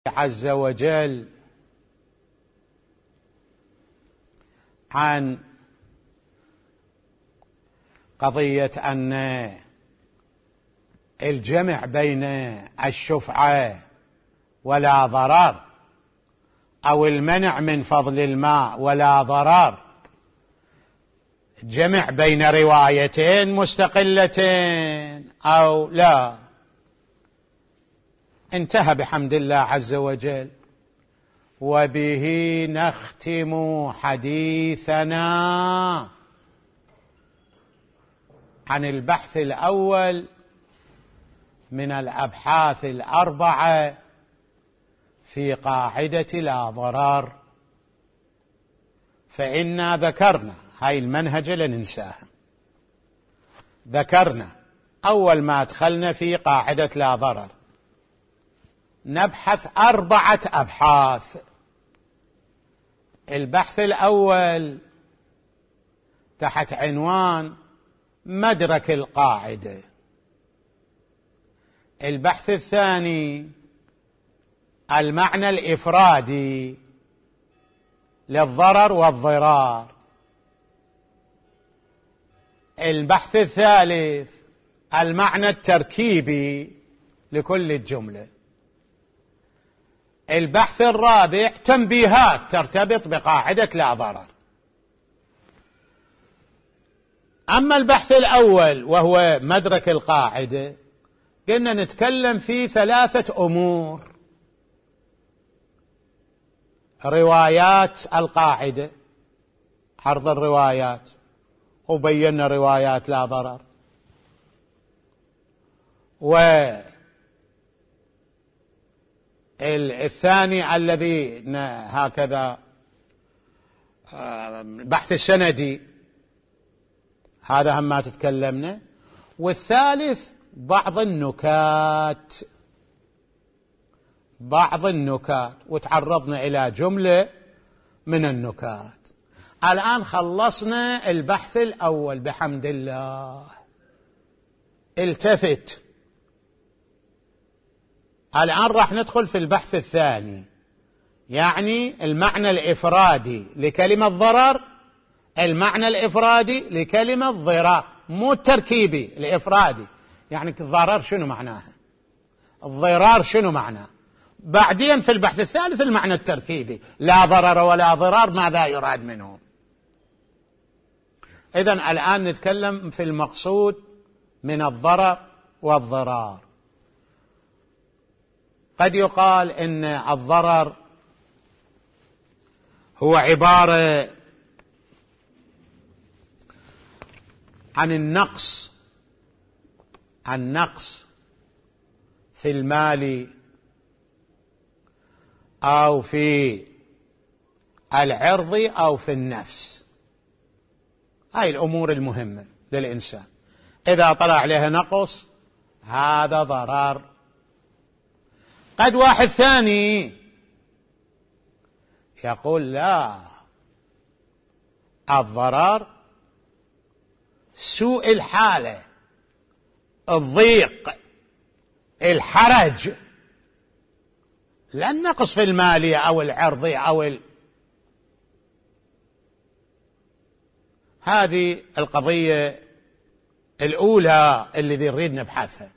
عز وجل عن قضية أن الجمع بين الشفعة ولا ضرر أو المنع من فضل الماء ولا ضرر جمع بين روايتين مستقلتين أو لا. انتهى بحمد الله عز وجل. وبه نختم حديثنا عن البحث الأول من الأبحاث الأربعة في قاعدة لا ضرر. فإنا ذكرنا هاي المنهجة لننساها. ذكرنا أول ما دخلنا في قاعدة لا ضرر نبحث 4 أبحاث. البحث الأول تحت عنوان مدرك القاعدة. البحث الثاني المعنى الإفرادي للضرر والضرار. البحث الثالث المعنى التركيبي لكل الجملة. البحث الرابع تنبيهات ترتبط بقاعدة لا ضرر. أما البحث الأول وهو مدرك القاعدة قلنا نتكلم في 3 أمور: روايات القاعدة، عرض الروايات، وبينا روايات لا ضرر، والثاني الذي هكذا بحث السندي، هذا هم ما تتكلمنا، والثالث بعض النكات وتعرضنا إلى جملة من النكات. الآن خلصنا البحث الأول بحمد الله. التفت، الآن راح ندخل في البحث الثاني، يعني المعنى الإفرادي لكلمة ضرر، المعنى الإفرادي لكلمة ضرار، مو التركيبي، الإفرادي. يعني الضرر شنو معناها، الضرار شنو معناه. بعدين في البحث الثالث المعنى التركيبي، لا ضرر ولا ضرار، ماذا يراد منه. إذن الآن نتكلم في المقصود من الضرر والضرار. قد يقال إن الضرر هو عبارة عن النقص في المال أو في العرض أو في النفس. هاي الأمور المهمة للإنسان، إذا طلع عليها نقص هذا ضرر. قد واحد ثاني يقول لا، الضرر سوء الحالة، الضيق، الحرج، لا النقص في المالية أو العرضية أو هذه القضية الأولى اللي نريد نبحثها.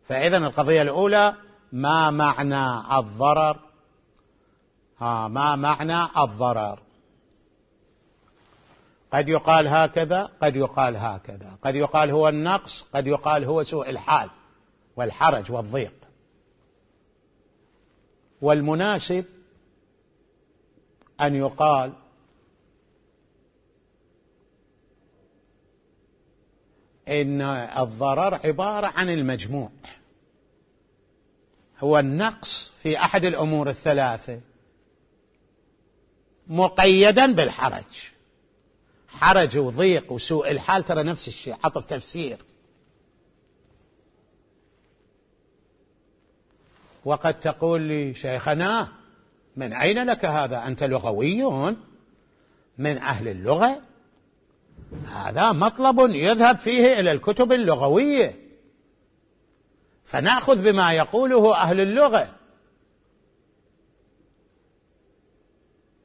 فإذن القضية الأولى ما معنى الضرر، ما معنى الضرر. قد يقال هكذا، قد يقال هكذا، قد يقال هو النقص، قد يقال هو سوء الحال والحرج والضيق. والمناسب أن يقال إن الضرر عبارة عن المجموع، هو النقص في أحد الأمور الثلاثة مقيدا بالحرج. حرج وضيق وسوء الحال ترى نفس الشيء، عطف تفسير. وقد تقول لي شيخنا من أين لك هذا، أنت لغوي من أهل اللغة، هذا مطلب يذهب فيه إلى الكتب اللغوية فنأخذ بما يقوله أهل اللغة.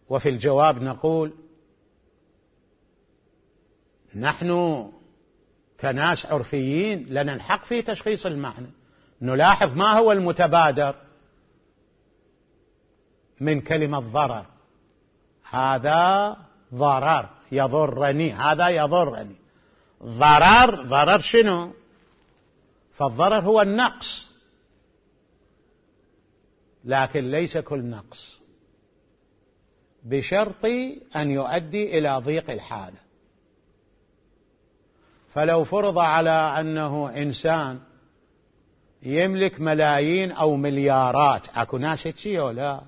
وفي الجواب نقول نحن كناس عرفيين لنا الحق في تشخيص المعنى، نلاحظ ما هو المتبادر من كلمة ضرر. هذا ضرر يضرني، هذا يضرني. ضرر شنو؟ فالضرر هو النقص، لكن ليس كل نقص، بشرط أن يؤدي إلى ضيق الحالة. فلو فرض على أنه إنسان يملك ملايين أو مليارات، أكو ناس هيك ولا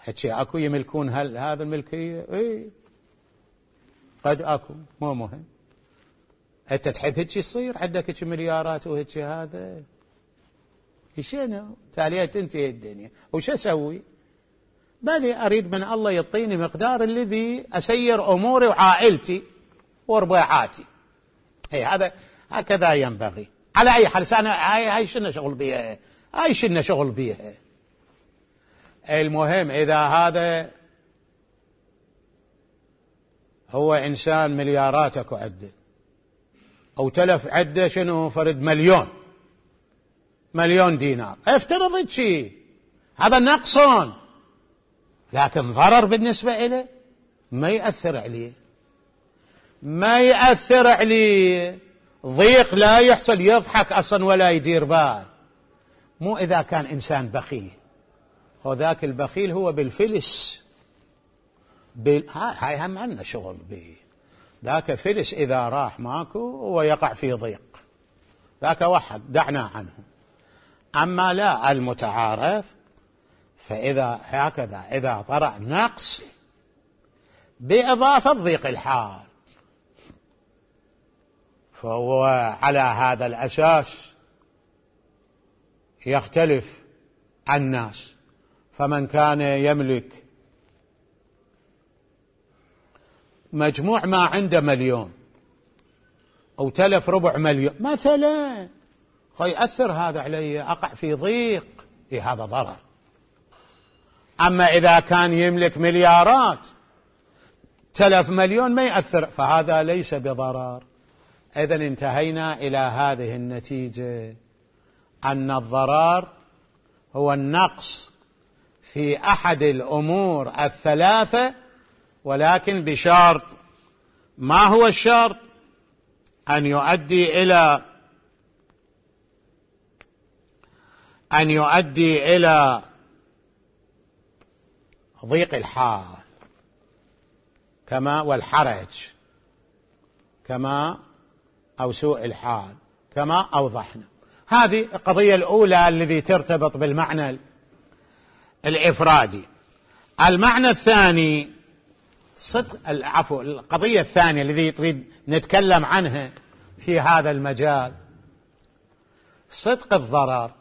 هيك أكو يملكون هذا الملكية؟ إيه قد أكو، مو مهم. أنت تحب هيك يصير عندك هيك مليارات وهيك هذا شنو؟ تالية تنتهي الدنيا، وش أسوي؟ بل أريد من الله يعطيني مقدار الذي أسير أموري وعائلتي وربيعاتي. هذا هكذا ينبغي. على أي حال أنا هاي شنو شغل بيها، هاي شنو شغل بيها. المهم إذا هذا هو إنسان ملياراتك عده أو تلف عده شنو فرد مليون دينار، افترض شيء، هذا نقص لكن ضرر بالنسبة إليه، ما يأثر عليه، ضيق لا يحصل، يضحك أصلا ولا يدير بال. مو إذا كان إنسان بخيل، وذاك البخيل هو بالفلس، هاي هم عندنا شغل به. ذاك فلس إذا راح ماكو ويقع في ضيق، ذاك وحد دعنا عنه. أما لا، المتعارف فإذا هكذا إذا طرأ نقص بإضافة ضيق الحال، فهو على هذا الأساس يختلف الناس. فمن كان يملك مجموع ما عنده مليون أو تلف 250,000 مثلا، يأثر هذا علي، أقع في ضيق، هذا ضرر. أما إذا كان يملك مليارات تلف مليون ما يأثر، فهذا ليس بضرر. إذن انتهينا إلى هذه النتيجة، أن الضرر هو النقص في أحد الأمور الثلاثة، ولكن بشرط. ما هو الشرط؟ أن يؤدي إلى ضيق الحال والحرج أو سوء الحال كما أوضحنا. هذه القضية الأولى التي ترتبط بالمعنى الإفرادي. المعنى الثاني القضية الثانية التي تريد نتكلم عنها في هذا المجال، صدق الضرر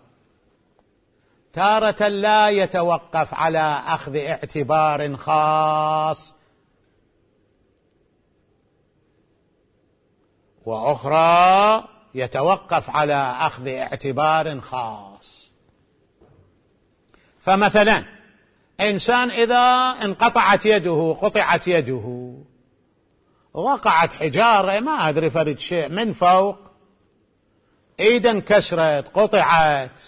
تارة لا يتوقف على أخذ اعتبار خاص، وأخرى يتوقف على أخذ اعتبار خاص. فمثلا إنسان إذا انقطعت يده، قطعت يده، وقعت حجارة ما أدري فرد شيء من فوق، إيدا انكسرت قطعت،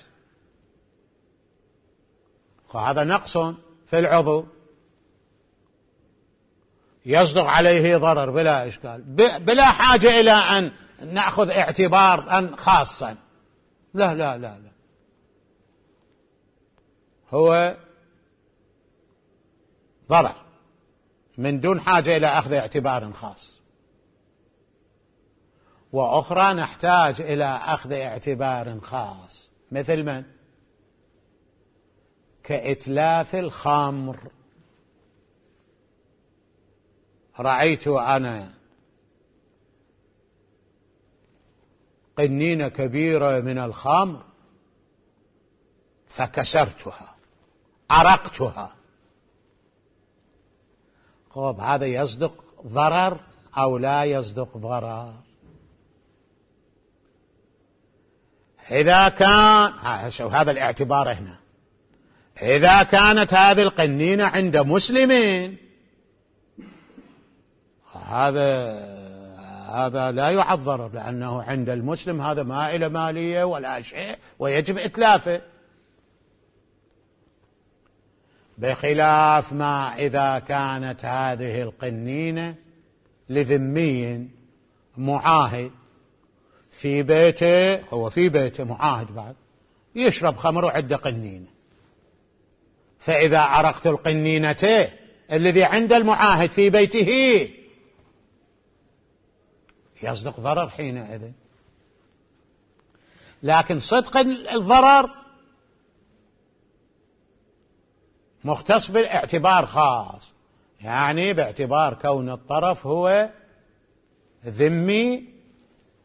فهذا نقص في العضو يصدق عليه ضرر بلا إشكال، بلا حاجة إلى أن نأخذ اعتبارا خاصا. لا لا لا لا، هو ضرر من دون حاجة إلى أخذ اعتبار خاص. وأخرى نحتاج إلى أخذ اعتبار خاص، مثل من؟ كإتلاف الخمر. رأيت أنا قنينة كبيرة من الخمر فكسرتها، أرقتها، هذا يصدق ضرر أو لا يصدق ضرر؟ إذا كان هذا الاعتبار هنا، إذا كانت هذه القنينة عند مسلمين هذا لا يعد ضرر، لأنه عند المسلم هذا ما إلى مالية ولا شيء ويجب إتلافه، بخلاف ما إذا كانت هذه القنينة لذمي معاهد في بيته، هو في بيته معاهد بعد يشرب خمر وعنده قنينة، فإذا عرقت القنينة الذي عند المعاهد في بيته يصدق ضرر حينئذ. لكن صدق الضرر مختص بالاعتبار خاص، يعني باعتبار كون الطرف هو ذمي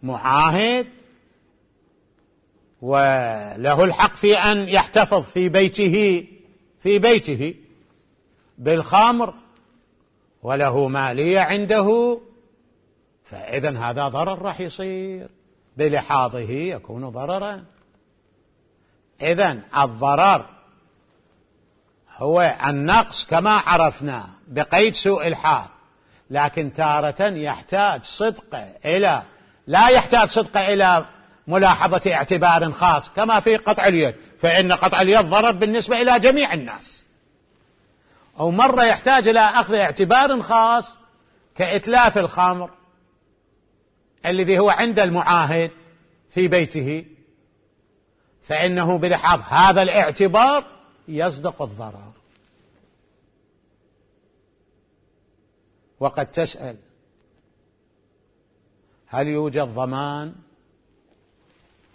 معاهد وله الحق في أن يحتفظ في بيته بالخمر وله مالية عنده، فإذن هذا ضرر راح يصير بلحاظه يكون ضررا. إذن الضرر هو النقص كما عرفنا بقيد سوء الحال، لكن تارة يحتاج لا يحتاج صدق إلى ملاحظة اعتبار خاص كما في قطع اليد، فإن قطع اليد ضرر بالنسبة إلى جميع الناس، أو مرة يحتاج إلى أخذ اعتبار خاص كإتلاف الخمر الذي هو عند المعاهد في بيته، فإنه بلحاظ هذا الاعتبار يصدق الضرر. وقد تسأل هل يوجد ضمان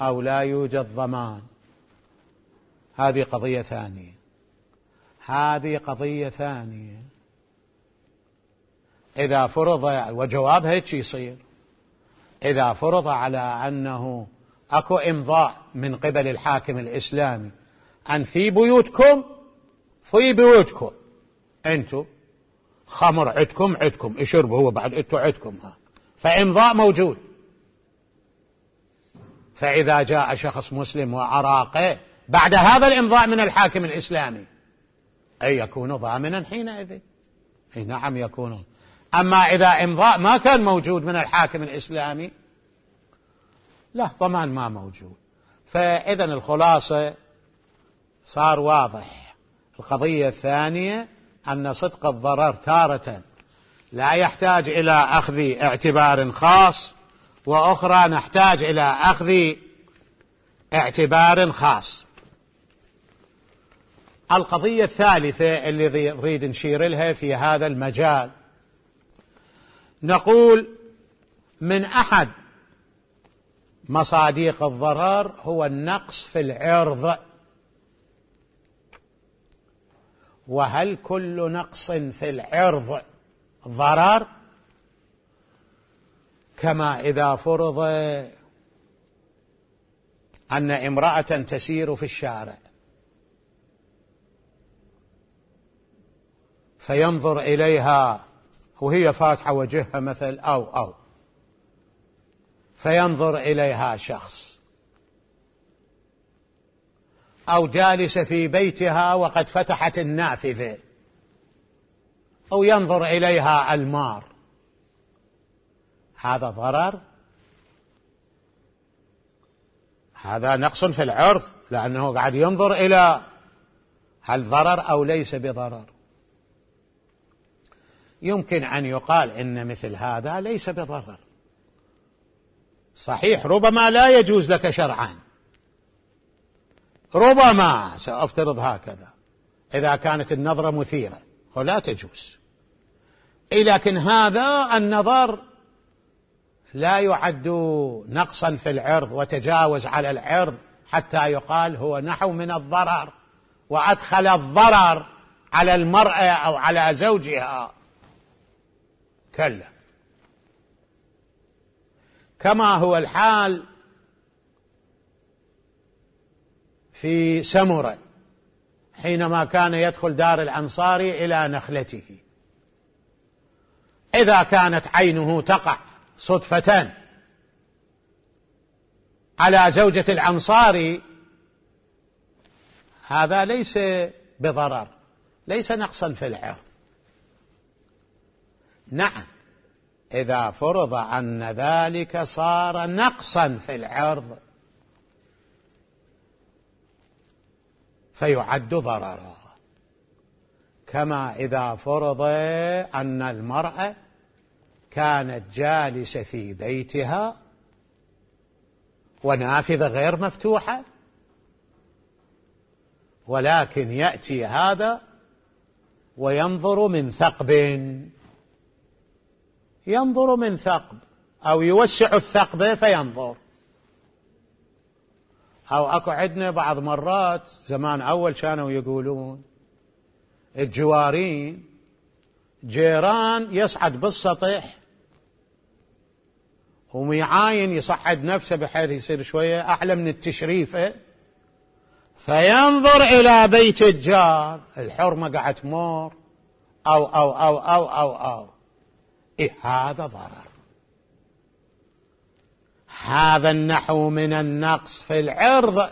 أو لا يوجد ضمان؟ هذه قضية ثانية. إذا فرض، وجوابها هيك يصير، إذا فرض على أنه أكو إمضاء من قبل الحاكم الإسلامي أن في بيوتكم أنتم خمر عدكم اشربوا، هو بعد أنتم عدكم، فإمضاء موجود، فإذا جاء شخص مسلم وأراقه بعد هذا الإمضاء من الحاكم الإسلامي أي يكون ضامنا حينئذ؟ نعم يكون. أما إذا إمضاء ما كان موجود من الحاكم الإسلامي لا ضمان ما موجود. فإذن الخلاصة صار واضح. القضية الثانية أن صدق الضرر تارة لا يحتاج إلى أخذ اعتبار خاص، وأخرى نحتاج إلى أخذ اعتبار خاص. القضية الثالثة اللي نريد نشير لها في هذا المجال، نقول من أحد مصادق الضرر هو النقص في العرض. وهل كل نقص في العرض ضرر؟ كما إذا فرض أن امرأة تسير في الشارع فينظر إليها وهي فاتحة وجهها مثل أو فينظر إليها شخص، أو جالسة في بيتها وقد فتحت النافذة، أو ينظر إليها المار، هذا ضرر؟ هذا نقص في العرض، لأنه قاعد ينظر إلى هل ضرر أو ليس بضرر. يمكن أن يقال إن مثل هذا ليس بضرر، صحيح ربما لا يجوز لك شرعا، ربما سأفترض هكذا إذا كانت النظرة مثيرة ولا تجوز، لكن هذا النظر لا يعد نقصا في العرض وتجاوز على العرض حتى يقال هو نحو من الضرر وأدخل الضرر على المرأة أو على زوجها، كلا. كما هو الحال في سمرة حينما كان يدخل دار الأنصاري إلى نخلته، إذا كانت عينه تقع صدفة على زوجة الأنصاري هذا ليس بضرر، ليس نقصا في العرض. نعم، إذا فرض أن ذلك صار نقصا في العرض فيعد ضررا، كما إذا فرض أن المرأة كانت جالسة في بيتها ونافذة غير مفتوحة، ولكن يأتي هذا وينظر من ثقب، ينظر من ثقب أو يوسع الثقب فينظر. أو أكو عندنا بعض مرات زمان أول كانوا يقولون الجوارين جيران يصعد بالسطح وميعاين يصعد نفسه بحيث يصير شوية أعلى من التشريفة، فينظر إلى بيت الجار الحرمة قاعد تمر أو إيه، هذا ضرر. هذا النحو من النقص في العرض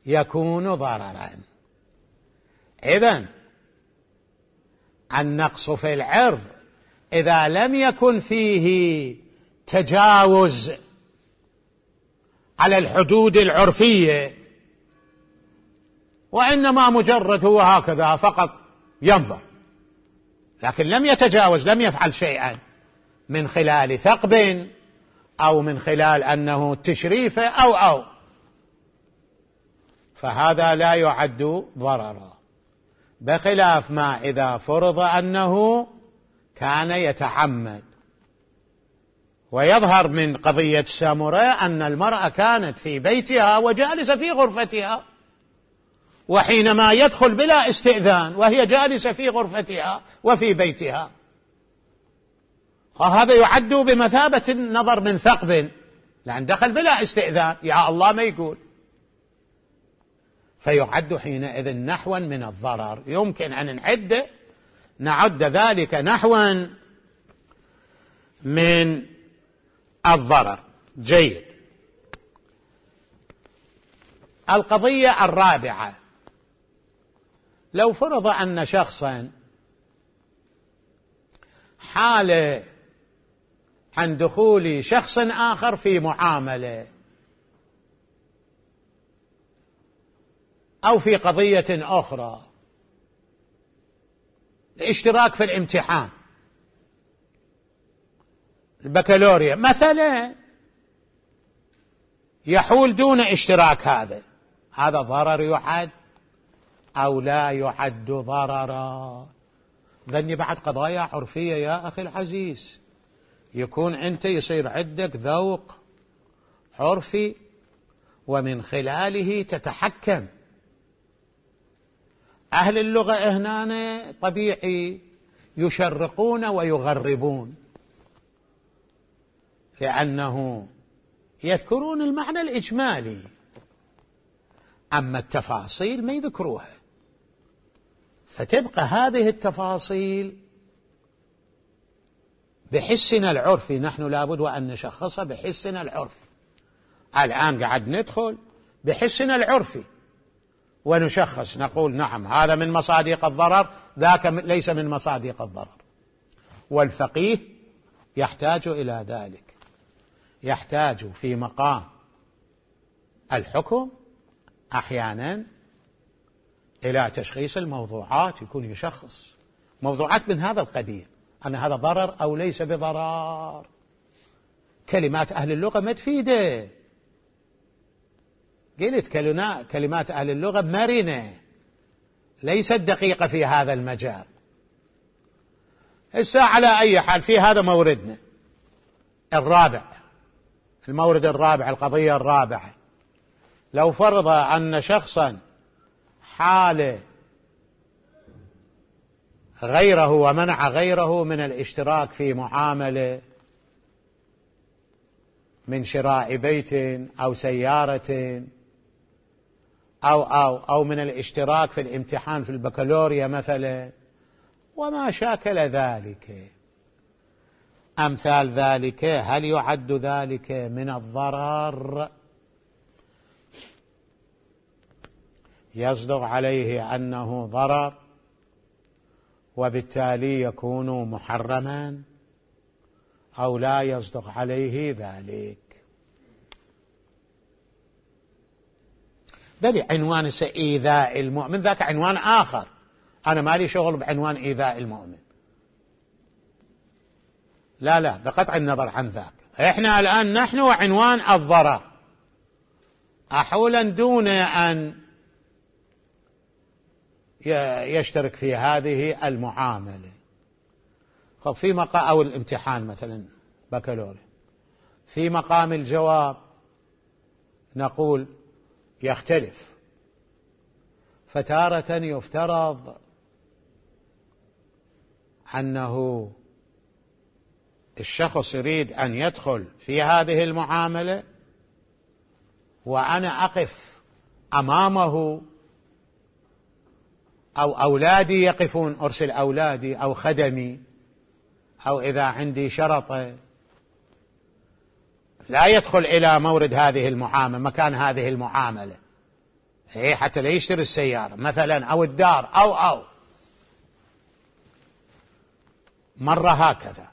يكون ضررا. إذن النقص في العرض إذا لم يكن فيه تجاوز على الحدود العرفية، وإنما مجرد هو هكذا فقط ينظر، لكن لم يتجاوز، لم يفعل شيئا من خلال ثقب أو من خلال أنه تشريفه أو فهذا لا يعد ضررا، بخلاف ما إذا فرض أنه كان يتعمد. ويظهر من قضية سامورة أن المرأة كانت في بيتها وجالسة في غرفتها، وحينما يدخل بلا استئذان وهي جالسة في غرفتها وفي بيتها، وهذا يعد بمثابة النظر من ثقب، لأن دخل بلا استئذان، يا الله ما يقول، فيعد حينئذ نحوا من الضرر. يمكن أن نعد ذلك نحوا من الضرر. جيد. القضية الرابعة، لو فرض أن شخصا حال عن دخول شخص آخر في معاملة أو في قضية أخرى، الاشتراك في الامتحان البكالوريا مثلا، يحول دون اشتراك، هذا ضرر يعد أو لا يعد ضررا؟ ذني بعد قضايا عرفية يا أخي العزيز، يكون أنت يصير عندك ذوق عرفي ومن خلاله تتحكم. أهل اللغة هنا طبيعي يشرقون ويغربون، لأنه يذكرون المعنى الإجمالي، أما التفاصيل ما يذكروها، فتبقى هذه التفاصيل بحسنا العرفي، نحن لابد وأن نشخصها بحسنا العرفي. الآن قاعد ندخل بحسنا العرفي ونشخص، نقول نعم هذا من مصادق الضرر، ذاك ليس من مصادق الضرر. والفقيه يحتاج إلى ذلك، يحتاج في مقام الحكم أحيانا إلى تشخيص الموضوعات، يكون يشخص موضوعات من هذا القبيل، أن هذا ضرر أو ليس بضرر. كلمات أهل اللغة ما تفيده، قلت كلمات أهل اللغة مرنة ليست دقيقة في هذا المجال. الساعة على أي حال في هذا موردنا الرابع، المورد الرابع، القضية الرابعة، لو فرض أن شخصا حال غيره ومنع غيره من الاشتراك في معاملة من شراء بيت أو سيارة أو من الاشتراك في الامتحان في البكالوريا مثلا، وما شاكل ذلك، أمثال ذلك، هل يعد ذلك من الضرر؟ يصدق عليه أنه ضرر وبالتالي يكون محرما، أو لا يصدق عليه ذلك. بل عنوان إيذاء المؤمن ذاك عنوان آخر، أنا مالي شغل بعنوان إيذاء المؤمن، لا بقطع النظر عن ذاك. إحنا الآن نحن وعنوان الضرر أحولا دون أن يشترك في هذه المعاملة. خب في مقام أو الامتحان مثلا بكالوريا، في مقام الجواب نقول يختلف، فتارة يفترض أنه الشخص يريد أن يدخل في هذه المعاملة وأنا أقف أمامه أو أولادي يقفون، أرسل أولادي أو خدمي، أو إذا عندي شرطة لا يدخل إلى مورد هذه المعاملة، مكان هذه المعاملة، حتى لا يشتري السيارة مثلا أو الدار أو مرة هكذا.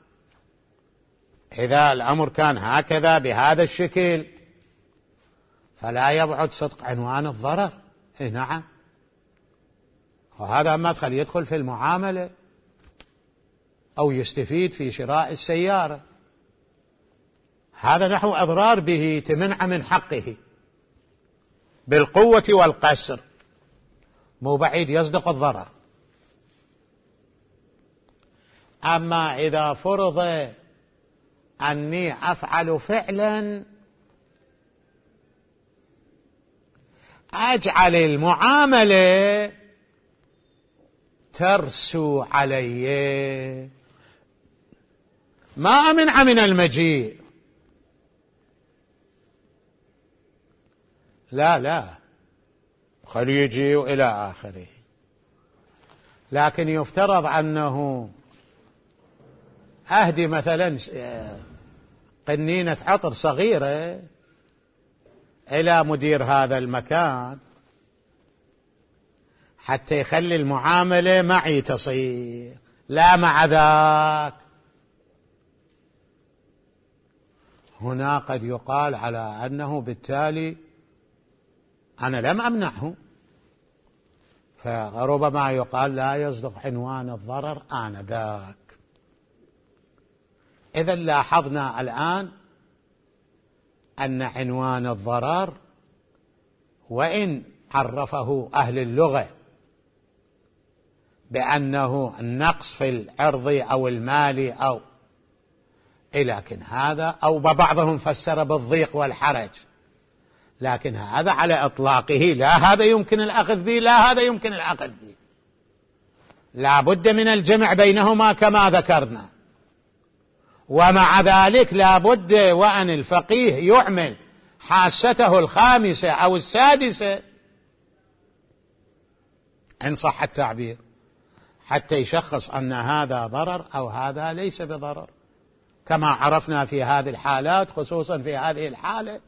إذا الأمر كان هكذا بهذا الشكل فلا يبعد صدق عنوان الضرر. نعم، وهذا مدخل يدخل في المعاملة أو يستفيد في شراء السيارة، هذا نحو أضرار به تمنع من حقه بالقوة والقسر، مو بعيد يصدق الضرر. أما إذا فرض أني أفعل فعلا أجعل المعاملة ترسو علي، ما أمنع من المجيء، لا خليه يجي إلى آخره، لكن يفترض أنه أهدي مثلا قنينة عطر صغيرة إلى مدير هذا المكان حتى يخلي المعاملة معي تصير، لا مع ذاك. هنا قد يقال على أنه بالتالي أنا لم أمنعه، فربما يقال لا يصدق عنوان الضرر آنذاك. إذا لاحظنا الآن أن عنوان الضرر وإن عرفه أهل اللغة بأنه النقص في العرض أو المال أو لكن هذا أو بعضهم فسر بالضيق والحرج، لكن هذا على إطلاقه، لا هذا يمكن الأخذ به لا هذا يمكن الأخذ به، لا بد من الجمع بينهما كما ذكرنا. ومع ذلك لا بد وأن الفقيه يعمل حاسته الخامسة أو السادسة إن صح التعبير حتى يشخص أن هذا ضرر أو هذا ليس بضرر، كما عرفنا في هذه الحالات، خصوصا في هذه الحالة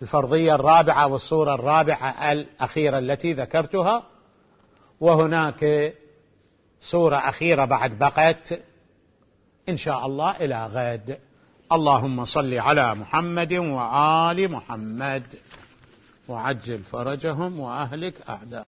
الفرضية الرابعة والصورة الرابعة الأخيرة التي ذكرتها. وهناك صورة أخيرة بعد بقت إن شاء الله إلى غد. اللهم صل على محمد وآل محمد وعجل فرجهم وأهلك أعداء.